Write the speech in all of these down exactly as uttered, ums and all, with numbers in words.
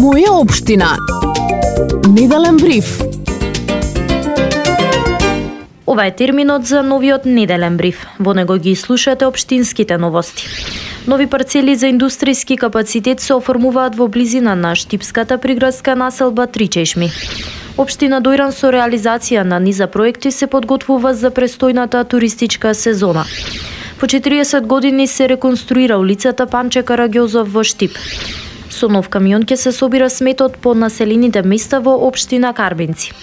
Моја општина. Неделен бриф. Ова е терминот за новиот неделен бриф. Во него ги слушате општинските новости. Нови парцели за индустријски капацитет се оформуваат во близина на штипската приградска населба Три Чешми. Општина Дојран со реализација на низа проекти се подготвува за престојната туристичка сезона. По четириесет години се реконструира улицата Панче Караѓозов во Штип. Со нов камион ќе се собира сметот по населените места во општина Карбинци.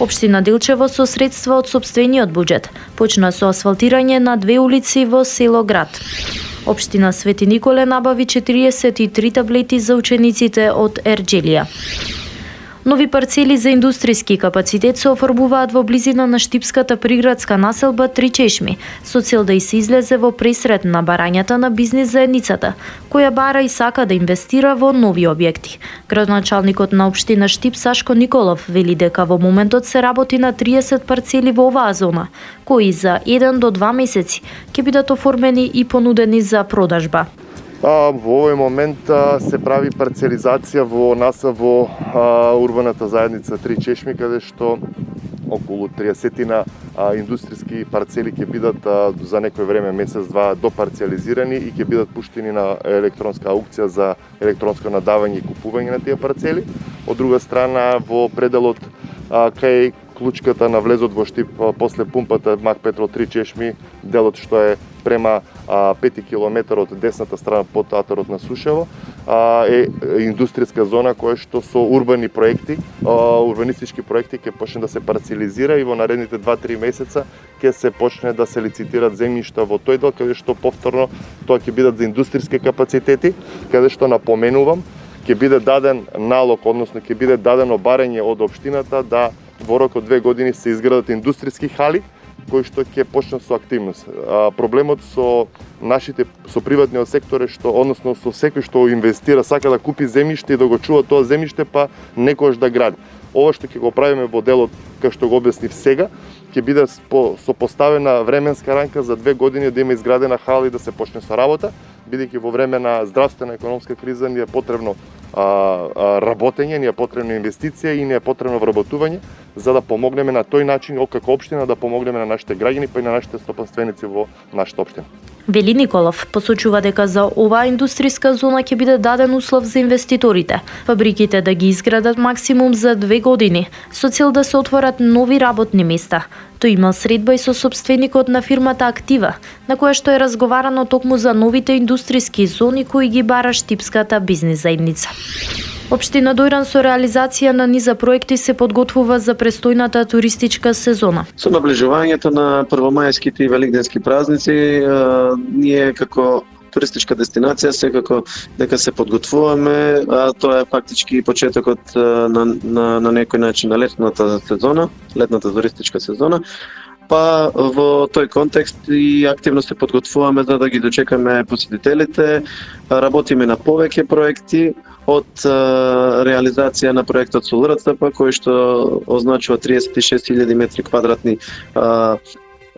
Општина Делчево со средства од сопствениот буџет почна со асфалтирање на две улици во село Град. Општина Свети Николе набави четириесет и три таблети за учениците од Ерџелија. Нови парцели за индустријски капацитет се оформуваат во близина на штипската приградска населба Три Чешми, со цел да и се излезе во пресрет на барањата на бизнис заедницата, која бара и сака да инвестира во нови објекти. Градоначалникот на општина Штип Сашко Николов вели дека во моментот се работи на триесет парцели во оваа зона, кои за еден до два месеци ќе бидат оформени и понудени за продажба. А, во овој момент а, се прави парцелизација во нас во а, урбаната заедница Три Чешми, каде што околу триесетина индустријски парцели ќе бидат а, за некој време, месец-два, допарцелизирани и ќе бидат пуштени на електронска аукција за електронско надавање и купување на тие парцели. Од друга страна, во пределот а, кај клучката на влезот во Штип после пумпата Мак Петро Три Чешми, делот што е према а, пет километри од десната страна под театарот на Сушево, а, е индустријска зона која што со урбани проекти, а, урбанистички проекти ќе почне да се парцелизира и во наредните два-три месеца ќе се почне да се лицитират земјишта во тој дел, каде што повторно тоа ќе бидат за индустријски капацитети, каде што напоменувам ќе биде даден налог, односно ќе биде дадено барање од општината да во рок од две години се изградат индустријски хали кои што ќе почнат со активност. А, проблемот со нашите со приватниот сектор е што, односно со секој што инвестира, сака да купи земјиште и да го чува тоа земјиште, па некош да гради. Ова што ќе го правиме во делот, како што го објаснив сега, ќе биде со поставена временска рамка за две години да има изградена хала и да се почне со работа, бидејќи во време на здравствена економска криза ни е потребно а, а, работење, ни е потребна инвестиција и ни е потребно вработување, за да помогнеме на тој начин, како општина, да помогнеме на нашите граѓани, па и на нашите стопанственици во нашата општина. Вели Николов посочува дека за оваа индустријска зона ќе биде даден услов за инвеститорите, фабриките да ги изградат максимум за две години, со цел да се отворат нови работни места. Тој имал средба и со сопственикот на фирмата Актива, на која што е разговарано токму за новите индустријски зони кои ги бара штипската бизнис заедница. Општина Дојран со реализација на низа проекти се подготвува за престојната туристичка сезона. Со наближувањето на првомајските и великденски празници, ние како туристичка дестинација секако дека се подготвуваме, а тоа е фактички почетокот на, на, на некој начин на летната сезона, летната туристичка сезона. Па во тој контекст и активно се подготвуваме за да ги дочекаме посетителите, работиме на повеќе проекти, од а, реализација на проектот со ЛРЦП, кој што означува триесет и шест илјади метри квадратни а,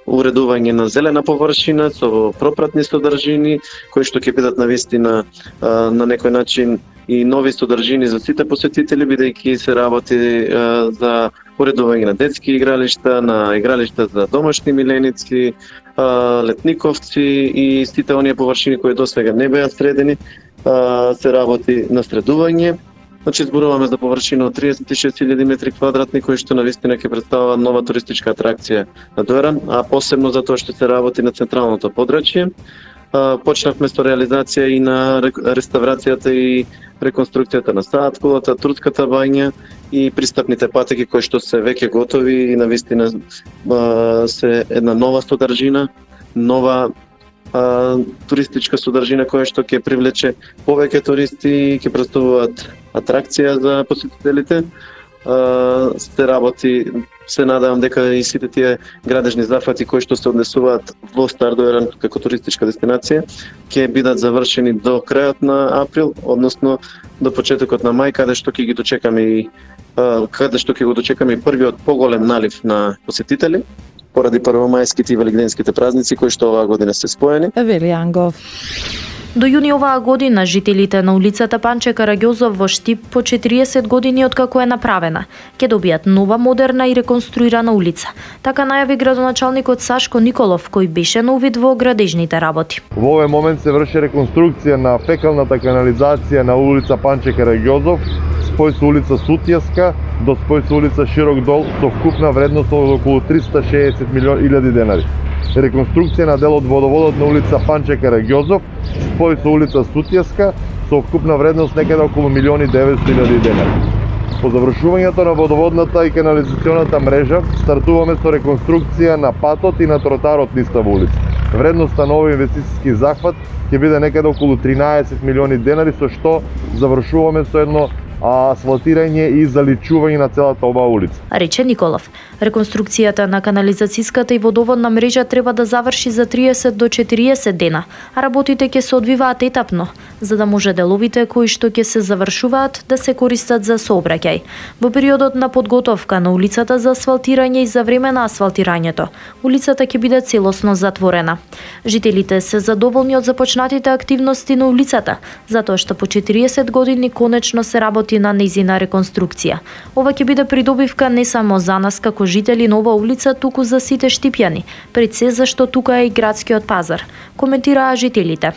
уредување на зелена површина со пропратни содржини, кои што ќе бидат навистина а, на некој начин и нови содржини за сите посетители, бидејќи се работи а, за уредување на детски игралишта, на игралишта за домашни миленици, а, летниковци и сите оние површини кои досега не беа средени, се работи на средување. Значи зборуваме за површина од триесет и шест илјади метри квадратни, кои што навистина ќе представува нова туристичка атракција на Дојран, а посебно затоа што се работи на централното подрачје. Почнавме со реализација и на реставрацијата и реконструкцијата на Саат кулата, Турската бања и пристапните патеки кои што се веќе готови и навистина се една нова содржина, нова А, туристичка содржина која што ќе привлече повеќе туристи и ќе представуваат атракција за посетителите. А, се работи, се надевам дека и сите тие градежни зафати кои што се однесуваат во Стар Дојран како туристичка дестинација ќе бидат завршени до крајот на април, односно до почетокот на мај, каде што ќе ги дочекаме и а, каде што ќе го дочекаме и првиот поголем налив на посетители поради првомајските и великденските празници кои што оваа година се споени. Вели Ангов. До јуни оваа година жителите на улицата Панче Караѓозов во Штип по четириесет години откако е направена ќе добијат нова, модерна и реконструирана улица. Така најави градоначалникот Сашко Николов, кој беше на увид во градежните работи. Во овој момент се врши реконструкција на фекалната канализација на улица Панче Караѓозов, спој со улица Сутјеска до спој со улица Широк дол со вкупна вредност од околу триста шеесет милиони илјади денари. Реконструкција на дел од водоводот на улица Панче Караѓозов, спој со улица Сутјеска со вкупна вредност некаде околу милиони деветсто илјади денари. По завршувањето на водоводната и канализационата мрежа стартуваме со реконструкција на патот и на тротарот низ таа улица. Вредноста на овој инвестициски захват ќе биде некаде околу тринаесет милиони денари, со што завршуваме со едно асфалтирање и заличување на целата оваа улица. Рече Николов. Реконструкцијата на канализацијската и водоводна мрежа треба да заврши за триесет до четириесет дена, а работите ќе се одвиваат етапно, за да може деловите кои што ќе се завршуваат да се користат за сообраќај. Во периодот на подготовка на улицата за асфалтирање и за време на асфалтирањето, улицата ќе биде целосно затворена. Жителите се задоволни од започнатите активности на улицата, затоа што по четириесет години конечно се работи на нејзина реконструкција. Ова ќе биде придобивка не само за нас како жители на оваа улица, туку за сите штипјани, пред се зашто тука е и градскиот пазар, коментираа жителите.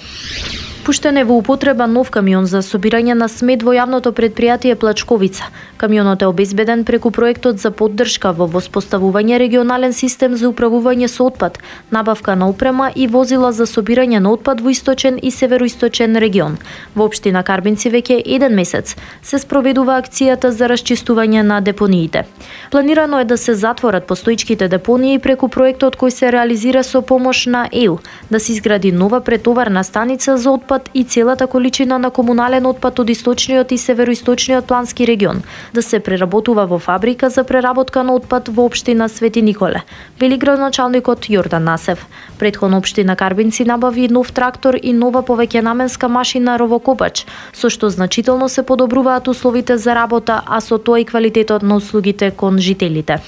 Пуштен е во употреба нов камион за собирање на смет во јавното предпријатие Плачковица. Камионот е обезбеден преку проектот за поддршка во воспоставување регионален систем за управување со отпад, набавка на опрема и возила за собирање на отпад во источен и североисточен регион. Во општина Карбинци веќе еден месец се спроведува акцијата за расчистување на депониите. Планирано е да се затворат постоичките депонии преку проектот кој се реализира со помош на Е У, да се изгради нова претоварна станица за отпад и целата количина на комунален отпад од источниот и североисточниот плански регион да се преработува во фабрика за преработка на отпад во општина Свети Николе, вели градоначалникот Јордан Насев. Претходно општина Карбинци набави нов трактор и нова повеќенаменска машина ровокопач, со што значително се подобруваат условите за работа, а со тоа и квалитетот на услугите кон жителите.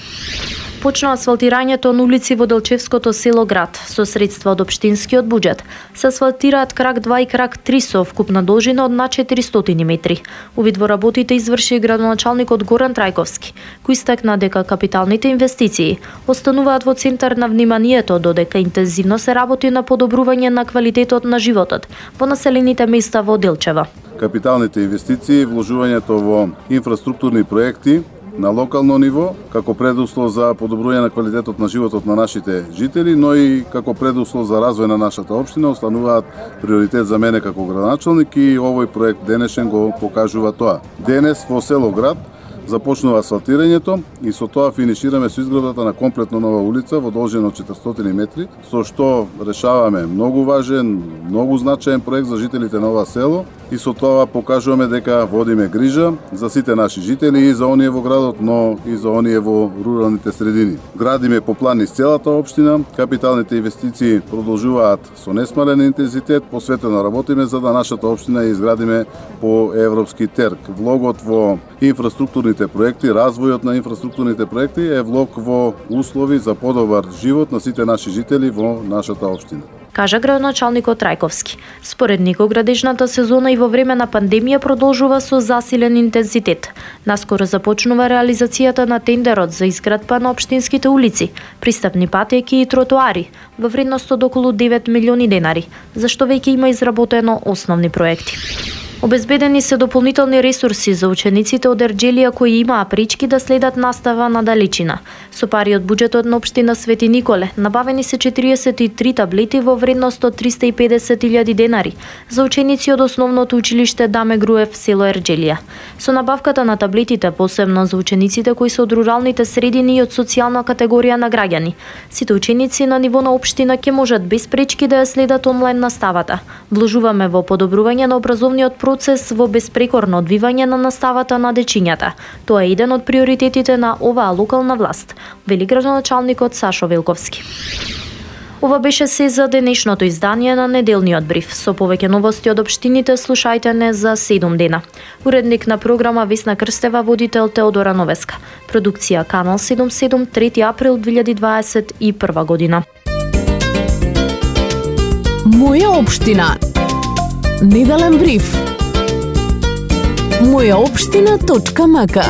Почна асфалтирањето на улици во Делчевското село Град со средства од општинскиот буџет. Се асфалтираат крак два и крак три со вкупна должина од над четиристотини метри. Увид во работите изврши градоначалникот Горан Трајковски, кој истакна дека капиталните инвестиции остануваат во центар на вниманието, додека интензивно се работи на подобрување на квалитетот на животот во населените места во Делчева. Капиталните инвестиции, вложувањето во инфраструктурни проекти на локално ниво, како предуслов за подобрување на квалитетот на животот на нашите жители, но и како предуслов за развој на нашата општина, остануваат приоритет за мене како градоначалник и овој проект денешен го покажува тоа. Денес во село Град започнува асфалтирањето и со тоа финишираме со изградата на комплетно нова улица во должина од четиристотини метри, со што решаваме многу важен, многу значаен проект за жителите на ова село и со тоа покажуваме дека водиме грижа за сите наши жители и за оние во градот, но и за оние во руралните средини. Градиме по план низ целата општина, капиталните инвестиции продолжуваат со несмален интензитет, посветено работиме за да нашата општина ја изградиме по европски терк. Влогот во инфраструктурните проекти, развојот на инфраструктурните проекти е влог во услови за подобар живот на сите наши жители во нашата општина, кажа градоначалникот Трајковски. Според него градежната сезона и во време на пандемија продолжува со засилен интензитет. Наскоро започнува реализацијата на тендерот за изградба на општинските улици, пристапни патеки и тротоари во вредност од околу девет милиони денари, за што веќе има изработено основни проекти. Обезбедени се дополнителни ресурси за учениците од Ерџелија кои имаа пречки да следат настава на далечина. Со пари од буџетот на општина Свети Николе набавени се четириесет и три таблети во вредност од триста и педесет илјади денари за ученици од основното училиште Даме Груев, село Ерџелија. Со набавката на таблетите, посебно за учениците кои се од руралните средини и од социјална категорија на граѓани, сите ученици на ниво на општина ќе можат без пречки да ја следат онлайн наставата. Вложуваме во подобрување на образовниот процес во безпрекорно одвивање на наставата на дечињата. Тоа е еден од приоритетите на оваа локална власт, вели градоначалникот Сашо Велковски. Ова беше се за денешното издание на неделниот бриф. Со повеќе новости од општините слушајте не за седум дена. Уредник на програма Весна Крстева, водител Теодора Новеска. Продукција Канал седумдесет и седум, трети април две илјади дваесет и прва година. Моја општина. Неделен бриф. Моја општина точка мака.